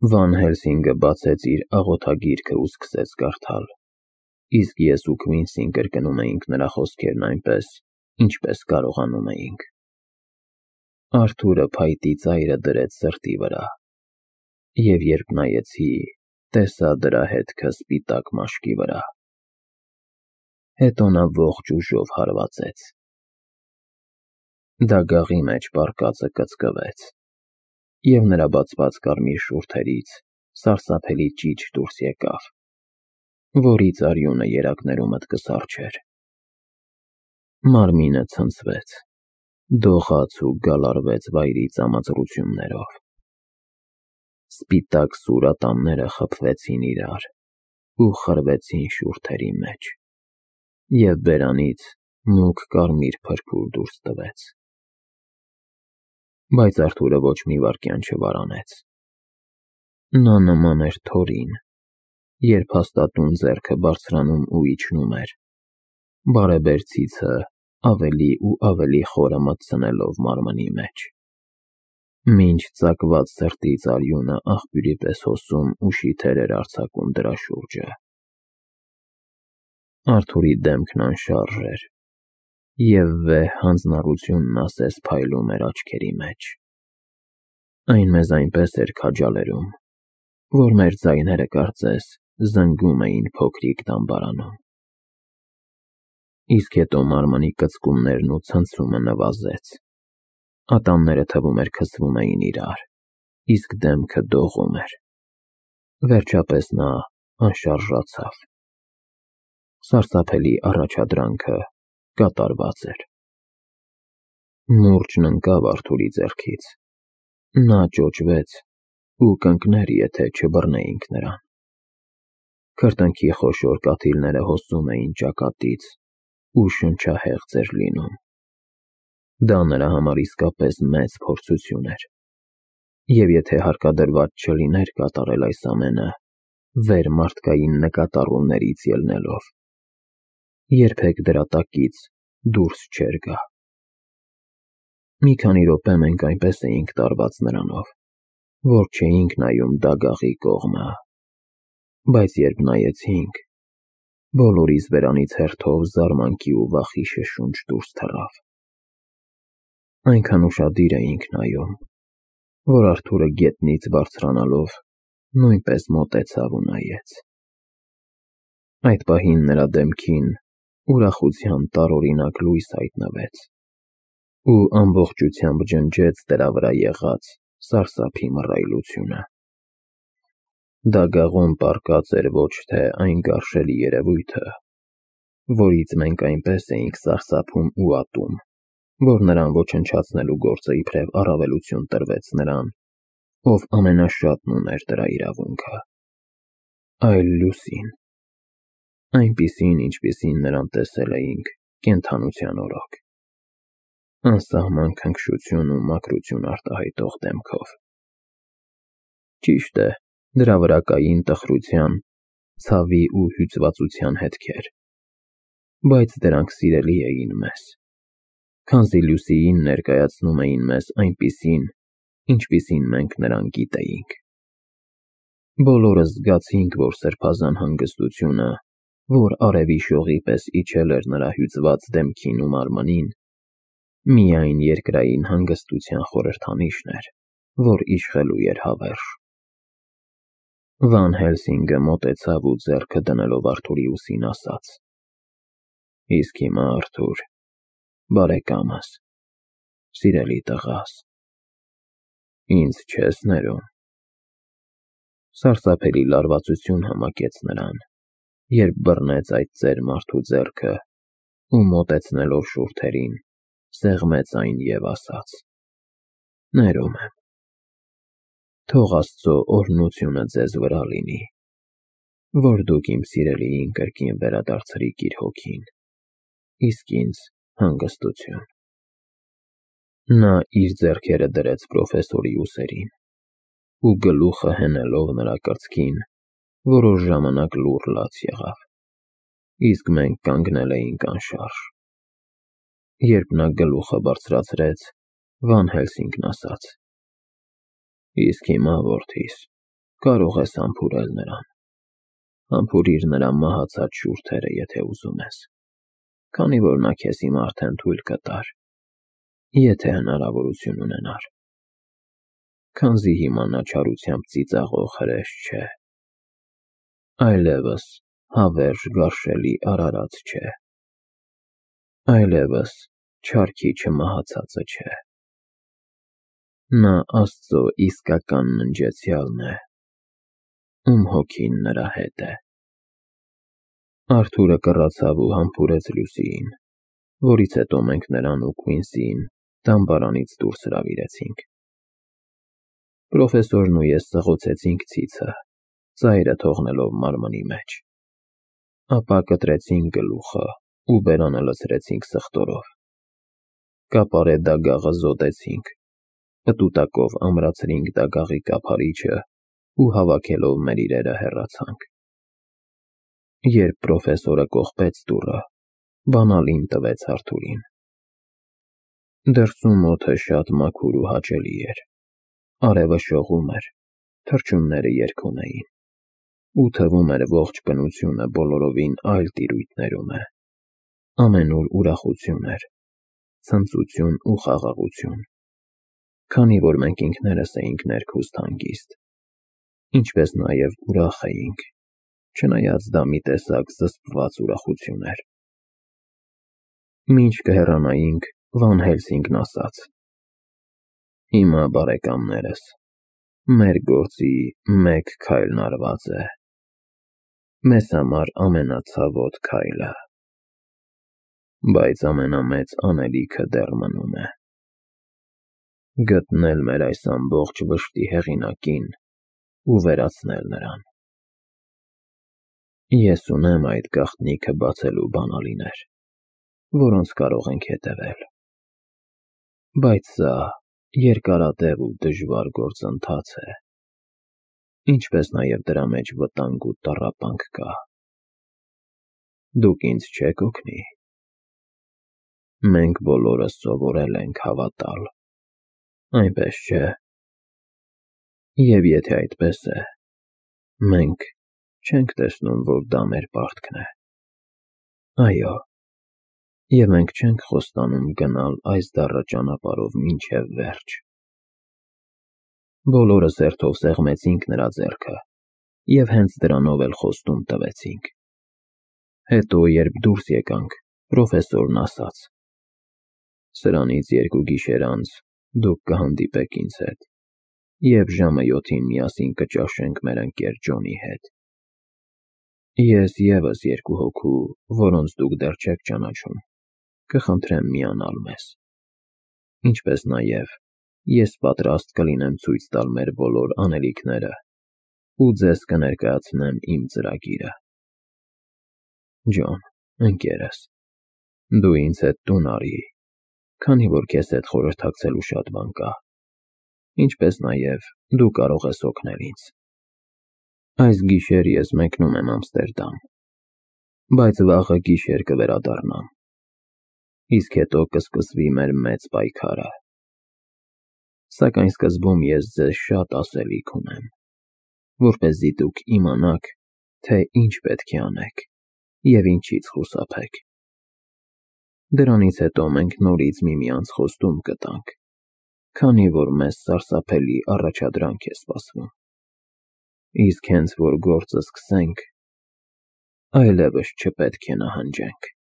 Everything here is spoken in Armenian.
Վան Հելսինգը բացեց իր աղոթագիրքը ու սկսեց կարդալ, իսկ ես ու Քվինսին կրկնում էինք նրա խոսքերն այնպես, ինչպես կարողանում էինք։ Արթուրը փայտի ծայրը դրեց սրտի վրա, և երբ նայեցի, տեսա դրա հետքը սպիտակ մաշկի վրա։ Հետո նա ողջ ուժով հարվածեց։ Դագաղի մեջ պառկածը կծկվեց, և նրա բացված կարմիր շուրթերից սարսափելի ճիչ դուրս եկավ, որից արյունը երակներումդ կսառչեր։ Մարմինը ցնցվեց, դողաց ու գալարվեց վայրի ծամածռություններով։ Սպիտակ սուր ատամները խփվեցին իրար ու խրվեցին շուրթերի մեջ, և բերանից մուգ կարմիր փրփուր դուրս տվեց։ Բայց Արթուրը ոչ մի վայրկյան չվարանեց։ Նա նման էր թորին, երբ հաստատուն ձեռքը բարձրանում ու իջնում էր, բարեբերցիցը ավելի ու ավելի խորը մտցնելով մարմնի մեջ, մինչ ծակված սրտից արյունը աղբյուրի պես հոսում ու շիթեր էր արձակում դրա շուրջը։ Արթուրի դեմքն անշարժ էր, և վեհ հանձնառությունն ասես փայլում էր աչքերի մեջ։ Այն մեզ այնպես էր քաջալերում, որ մեր ձայները կարծես զնգում էին փոքրիկ դամբարանում։ Իսկ հետո մարմնի կծկումներն ու ցնցումը նվազեց, ատամները թվում էր քսվում էին իրար, իսկ դեմքը դողում էր։ Վերջապես նա անշարժացավ։ Սարսափելի առաջադրանքը կատարված էր։ Մուրճն ընկավ Արթուրի ձեռքից։ Նա ճոճվեց ու կընկներ, եթե չբռնեինք նրան։ Քրտինքի խոշոր կաթիլները հոսում էին ճակատից ու շնչահեղձ էր լինում։ Դա նրա համար իսկապես մեծ փորձություն էր, և եթե հարկադրված չլիներ կատարել այս ամենը վեր մարդկային նկատառումներից ելնելով, երբեք դրա տակից դուրս չէր գա։ Մի քանի րոպե մենք այնպես էինք տարված նրանով, որ չէինք նայում դագաղի կողմը, բայց երբ նայեցինք, բոլորիս բերանից հերթով զարմանքի ու վախի շշունչ դուրս թռավ։ Այնքան ուշադիր էինք նայում, որ Արթուրը գետնից բարձրանալով նույնպես մոտեցավ ու նայեց։ Այդ պահին նրա դեմքին ուրախության տարօրինակ լույս հայտնվեց ու ամբողջությամբ ջնջեց դրա վրա եղած սարսափի մռայլությունը։ Դագաղում պառկած էր ոչ թե այն գարշելի երևույթը, որից մենք այնպես էինք սարսափում ու ատում, որ նրան ոչնչացնելու գործը իբրև առավելություն տրվեց նրան, ով ամենաշատն ուներ դրա իրավունքը, այլ լուսին, այնպիսին, ինչպիսին նրան տեսել էինք կենդանության օրոք, անսահման քնքշություն ու մաքրություն արտահայտող դեմքով։ Ճիշտ է, դրա վրա կային տխրության, ցավի ու հյուծվածության հետքեր, բայց դրանք սիրելի էին մեզ, քանզի լուսիին ներկայացնում էին մեզ այնպիսին, ինչպիսին մենք նրան գիտեինք։ Բոլորս զգացինք, որ սրբազան հանգստությունը, որ արևի շողի պես իջել էր նրա հյուծված դեմքին ու մարմնին, միայն երկրային հանգստության խորհրդանիշն էր, որ իշխելու էր հավերժ։ Վան Հելսինգը մոտեցավ ու ձեռքը դնելով Արթուրի ուսին ասաց. «Իսկ հիմա, Արթուր, բարեկամս, սիրելի տղաս, ինձ չես ներում»։ Սարսափելի լարվածություն համակեց նրան, երբ բռնեց այդ ծեր մարդու ձեռքը ու մոտեցնելով շուրթերին, սեղմեց այն և ասաց. «Ներում եմ։ Թող Աստծո օրհնությունը ձեզ վրա լինի, որ դուք իմ սիրելիին կրկին վերադարձրիք իր հոգին, իսկ ինձ հանգստություն»։ Նա իր ձեռքերը դրեց պրոֆեսորի ուսերին ու գլուխը հենելով նրա կրծքին, որոշ ժամանակ լուռ լաց եղավ, իսկ մենք կանգնել էինք անշարժ։ Երբ նա գլուխը բարձրացրեց, Վան Հելսինգն ասաց. «Իսկ հիմա, որդիս, կարող ես համբուրել նրան։ Համբուրիր նրա մահացած շուրթերը, եթե ուզում ես, քանի որ նա քեզ հիմա արդեն թույլ կտար, եթե հնարավորություն ունենար, քանզի հիմա նա չարությամբ ծիծաղող հրեշ չէ, այլևս հավերժ գարշելի արարած չէ, այլևս չարքի չմահացածը չէ։ Նա Աստծո իսկական ննջեցյալն է, ում հոգին նրա հետ է։ Արթուրը կռացավ ու համբուրեց Լուսիին, որից հետո մենք նրան ու Քվինսիին դամբարանից դուրս հրավիրեցինք։ Պրոֆեսորն ու ես սղոցեցինք ցիցը, ծայրը թողնելով մարմնի մեջ։ Ապա կտրեցինք գլուխը ու բերանը լցրեցինք սխտորով։ Կապարե դագաղը զոդեցինք, պտուտակով ամրացրինք դագաղի կափարիչը ու հավաքելով մեր իրերը հեռացանք։ Երբ պրոֆեսորը կողպեց դուռը, բանալին տվեց Արթուրին։ Դրսում օդը շատ մաքուր ու հաճելի էր, արևը շողում էր, թռչունները երգում էին, ու թվում էր ողջ բնությունը բոլորովին այլ տիրույթներում է, ամենուր ուրախություն էր, ցնծություն ու խաղաղություն, քանի որ մենք ինքներս էինք ներքուստ հանգիստ, ինչպես նաև ուրախ էինք, չնայած դա մի տեսակ զսպված ուրախություն էր։ Մինչ կհեռանայինք, Վան Հելսինգն ասաց. «Հիմա, բարեկամներս, մեր գործի մեկ քայլն արված է, մեզ համար ամենացավոտ քայլը, բայց ամենամեծ անելիքը դեռ մնում է. գտնել մեր այս ամբողջ վշտի հեղինակին ու վերացնել նրան։ Ես ունեմ այդ գաղտնիքը բացելու բանալիներ, որոնց կարող ենք հետևել, բայց սա երկարատև ու դժվար գործընթաց է, ինչպես նաև դրա մեջ վտանգ ու տառապանք կա։ Դուք ինձ չեք օգնի։ Մենք բոլորս սովորել ենք հավատալ, այնպես չէ՞։ Եվ եթե այդպես է, մենք չենք տեսնում, որ դա մեր պարտքն է։ Այո, և մենք չենք խոստանում գնալ այս դառը ճանապարհով մինչև վերջ։ Բոլորս հերթով սեղմեցինք նրա ձեռքը և հենց դրանով էլ խոստում տվեցինք։ Հետո, երբ դուրս եկանք, պրոֆեսորն ասաց. «Սրանից 2 գիշեր անց դուք կհանդիպեք ինձ հետ, և ժամը 7-ին միասին կճաշենք մեր ընկեր Ջոնի հետ։ Ես ևս 2 հոգու, որոնց դուք դեռ չեք ճանաչում, կխնդրեմ միանալ մեզ, ինչպես նաև ես պատրաստ կլինեմ ցույց տալ մեր բոլոր անելիքները ու ձեզ կներկայացնեմ իմ ծրագիրը։ Ջոն, ընկերս, դու ինձ հետ տուն արի, քանի որ քեզ հետ խորհրդակցելու շատ բան կա, ինչպես նաև դու կարող ես օգնել ինձ։ Այս գիշեր ես մեկնում եմ Ամստերդամ, բայց վաղը գիշեր կվերադառնամ, իսկ հետո կսկսվի մեր մեծ պայքարը։ Սակայն սկզբում ես ձեզ շատ ասելիք ունեմ, որպեսզի դուք իմանաք, թե ինչ պետք է անեք և ինչից խուսափեք։ Դրանից հետո մենք նորից միմյանց խոստում կտանք, քանի որ մեզ սարսափելի առաջադրանք է սպասվում։ Իսկ հենց որ գործը սկսենք, այլևս չպետք է նահանջենք»։